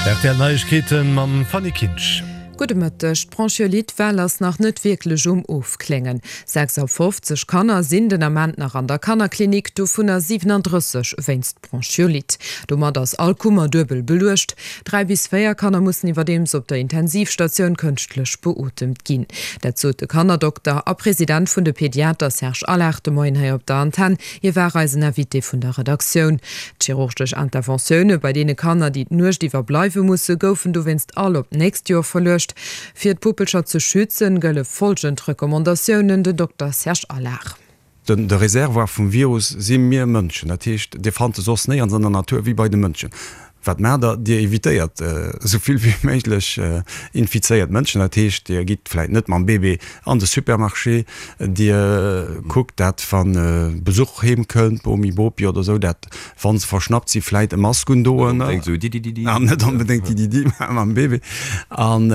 Rtl Neiegkeeten mam Fanny Kinsch. Gudde Mëtteg. D'Bronchiolite-Well ass nach net wierklech um Ofkléngen. 56 Kanner sinn den Ament nach an der Kannerklinik, dovunner 37 wéinst Bronchiolite. Domat ass all Kummer duebel beluecht. 3 bis 4 Kanner mussen iwwerdeems op der Intensivstatioun kënschtlech beotemt ginn. Dat sot de Kannerdokter a President vun de Pediater Serge Allard de Moien hei op der Antenn. Hie war eisen Invité vun der Redaktioun. D'chirurgesch Interventioune bei deene Kanner, déi d'Nuecht iwwer bleiwe musse, goufen dowéinst all op d'nächst Joer verluecht. Fir d'Puppelcher ze schützen, gëlle follgend Recommandatiounen, Den Dokter Serge Allard. De Reservoir vum Virus si mir Mënschen. Dat heescht, Dir fannt e soss néierens an der Natur wéi bei de Mënschen. Wat maacht Der? Dir evitéiert esou vill wéi méiglech infizéiert Mënschen. Dat heescht, Dir gitt vläit net mam Bébé an de Supermarché. Dir kuckt, dat wa Besuch heem kënnt, Bomi, Bopi oder esou, dat wa se verschnappt si vläit e Mask undoen. Net onbedéngt esou Didididi. An net onbedéngt Dididi mam Bébé. An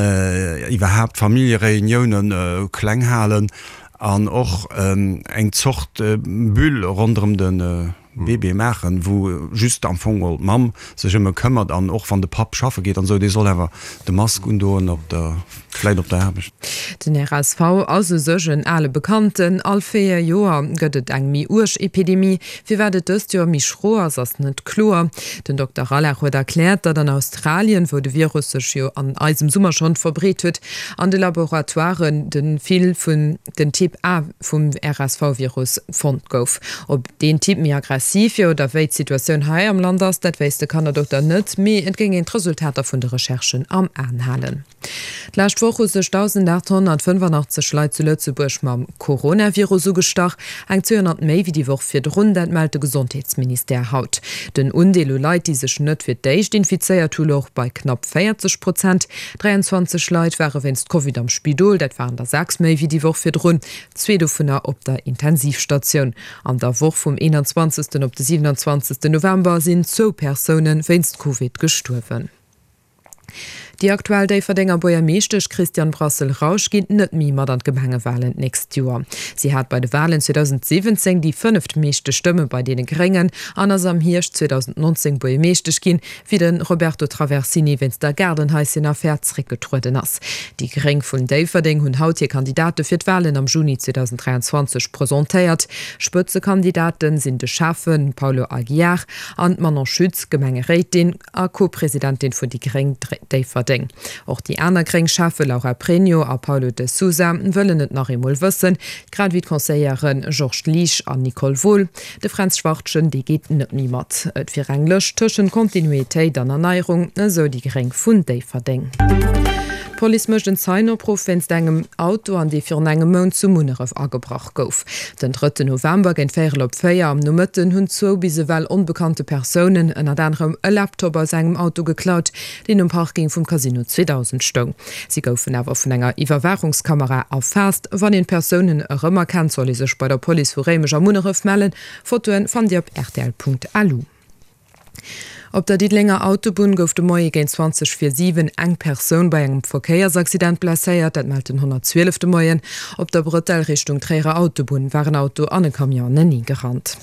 iwwerhaapt Familljereuniounen kleng halen an och eng Zort Bulle ronderëm de Bébé maachen, wou just am Fong geholl d'Mamm sech ëm e këmmert an och wann de Papp schaffe geet an esou, dee soll awer de Mask undoen op der, vläit op der Aarbecht. Den RSV ass u sech en ale Bekannten. All 4 Joer gëtt et eng méi uerg Epidemie. Firwat et dëst Joer méi schro ass, ass net kloer. Den Dokter Rallach huet erkläert, datt an Australien, wou de Virus sech jo an eisem Summer schonn verbreet huet, an de Laboratoiren de vill vun den Typ A vum RSV-Virus fonnt gouf. Ob deen Typ méi aggressiv wier oder wéi d'Situatioun hei am Land ass, dat wéisst de Kannerdokter net, mee et géing een d'Resultater vun de Recherchen am Aen halen. D'lescht Woch hu sech 1.885 Leit zu Lëtzebuerg mam Coronavirus ugestach, eng 200 méi wéi déi Woch virdrun, dat mellt de Gesondheetsministère haut. Den Undeel u Leit, déi sech net fir d'éischt infizéiert hu louch bei knapp 40 Prozent. 23 Leit ware wéinst Covid am Spidol, dat waren der 6 méi wéi déi Woch virdrun, zwee dovunner op der Intensivstatioun. An der Woch vum 21. op de 27. November sinn zwou Persoune wéinst Covid gestuerwen. Déi aktuell Déifferdenger Buergermeeschtesch Christiane Brassel-Rausch geet net méi mat an d'Gemengewalen d'nächst Joer. Si hat bei de Walen 2017 déi fënneft meeschte Stëmme bei deene Gréngen an ass am Hierscht 2019 Buergermeeschtesch ginn, wéi de Roberto Traversini wéinst der Gaardenhaisschen-Affär zréckgetrueden ass. Déi Gréng vun Déifferdeng hunn haut hir Kandidate fir d'Walen am Juni 2023 presentéiert. Spëtzekandidate sinn de Schäffe Paulo Aguiar an d'Manon Schütz, Gemengeréitin a Co-Presidentin vun déi Gréng Déifferdeng. Och déi aner gréng Schäffe Laura Pregno a Paulo de Sousa wëllen et nach eemol wëssen, grad ewéi d'Conseillere Georges Liesch an Nicole Wohl. De Fränz Schwartgen, dee geet net méi mat. Et wier eng Lëscht tëschent Kontinuitéit an Erneierung, esou déi Gréng vun Déifferdeng. D'Police mécht en Zeienopruff wéinst engem Auto, an dee virun engem Mount zu Munneref agebrach gouf. Den drëtten November géint véierel op 4 am Nomëtten hunn zwou bis ewell onbekannte Persounen ënnert anerem e Laptop aus engem Auto geklaut, deen um Parking vum Casino 2000 stoung. Si goufen awer vun enger Iwwerwaachungskamera erfaasst. Wann een d'Persounen erëmerkennt, soll ee sech bei der Police vu Réimech a Munneref mellen. Fotoen fannt Dir op rtl.lu. Op der Diddelenger Autobunn gouf de Moie géint 20 vir 7 eng Persoun bei engem Verkéiersaccident blesséiert. Dat mellt den 112 de Moien. Op der Bretelle Richtung Tréierer Autobunn war en Auto an e Camion anenee gerannt.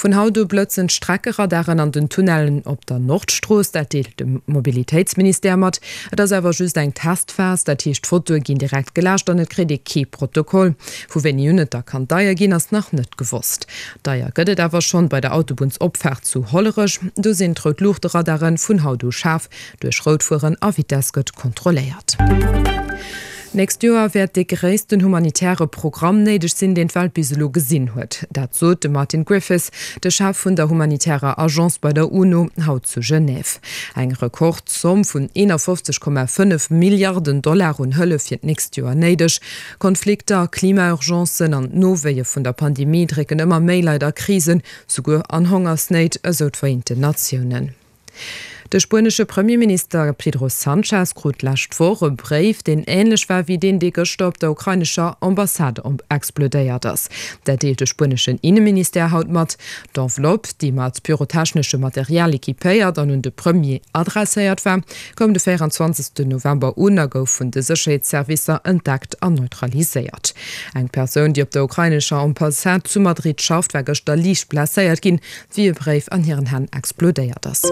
Vun haut u blëtzen d'Streckeradaren an den Tunnellen op der Nordstrooss. Dat deelt de Mobilitéitsministère mat. Et ass awer just eng Testphas, dat heescht d'Fotoe ginn direkt geläscht an et kritt ee kee Protokoll. Vu wéini un et da kann deier ginn, ass nach net gewosst. Deier gëtt et awer schonn bei der Autobunnsopfaart zu Hollerech. Do sinn d'Rout-Luuchte-Radare vun haut u schaarf. Duerch Rout fueren a Vitess gëtt kontrolléiert. D'nächst Joer wäert dee gréissten humanitäre Programm néideg sinn, deen d'Welt bis elo gesinn huet. Dat sot de Martin Griffiths, de Chef vun der humanitärer Agence bei der UNO, haut zu Genève. Eng Rekordzomm vun 51,5 Milliarden Dollar un Hëllef fir d'nächst Joer néideg. Konflikter, Klimaurgencen an d'Nowéie vun der Pandemie drécken ëmmer méi Leit a Krisen, souguer an Hongersnéit, esou d'Vereenten Natiounen. De spuenesche Premierminister Pedro Sanchez krut d'lescht Woch e Bréif, deen änlech war wéi deen, dee gëschter op der ukrainescher Ambassade explodéiert ass. Dat deelt de spueneschen Inneministère haut mat. D'Enveloppe, déi mat pyrotechneschem Material equipéiert an un de Premier adresséiert war, koum de 24 November un a gouf vun de Sécherheetsservicer entdeckt an neutraliséiert. Eng Persoun, déi op der ukrainescher Ambassade zu Madrid schafft, war gëschter liicht blesséiert ginn. wéi e Bréif an hiren Hänn explodéiert ass.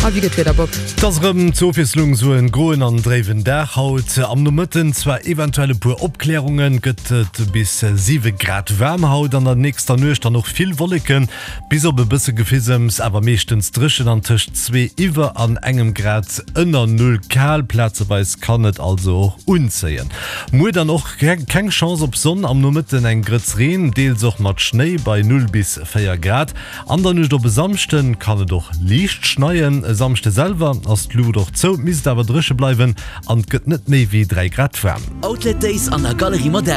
A wéi gëtt d'Wieder, Bob? Et ass erëm zur Ofwiesslung esou en groen an dréiwen Dag haut. Am Nomëtten zwar eventuell e puer Opklärungen, gëtt et bis 7 Grad waarm haut. An der nächster Nuecht dann och vill Wolleken, bis op e bësse Gefisems, awer meeschtens dréchen an tëscht zwee iwwer an engem Grad ënner Null kal. Plazeweis kann et also och unzéien. Muer dann och keng Chance op Sonn, am Nomëtten eng Grëtz Reen, deels och mat Schnéi bei 0 bis 4 Grad. An der Nuecht op e Samschde kann et och liicht schneien. E Samschde selwer ass d'Luucht och zou, misst awer dréche bleiwen an et gëtt net méi wéi 3 Grad waarm. Outlet Days an der Galerie Moderne.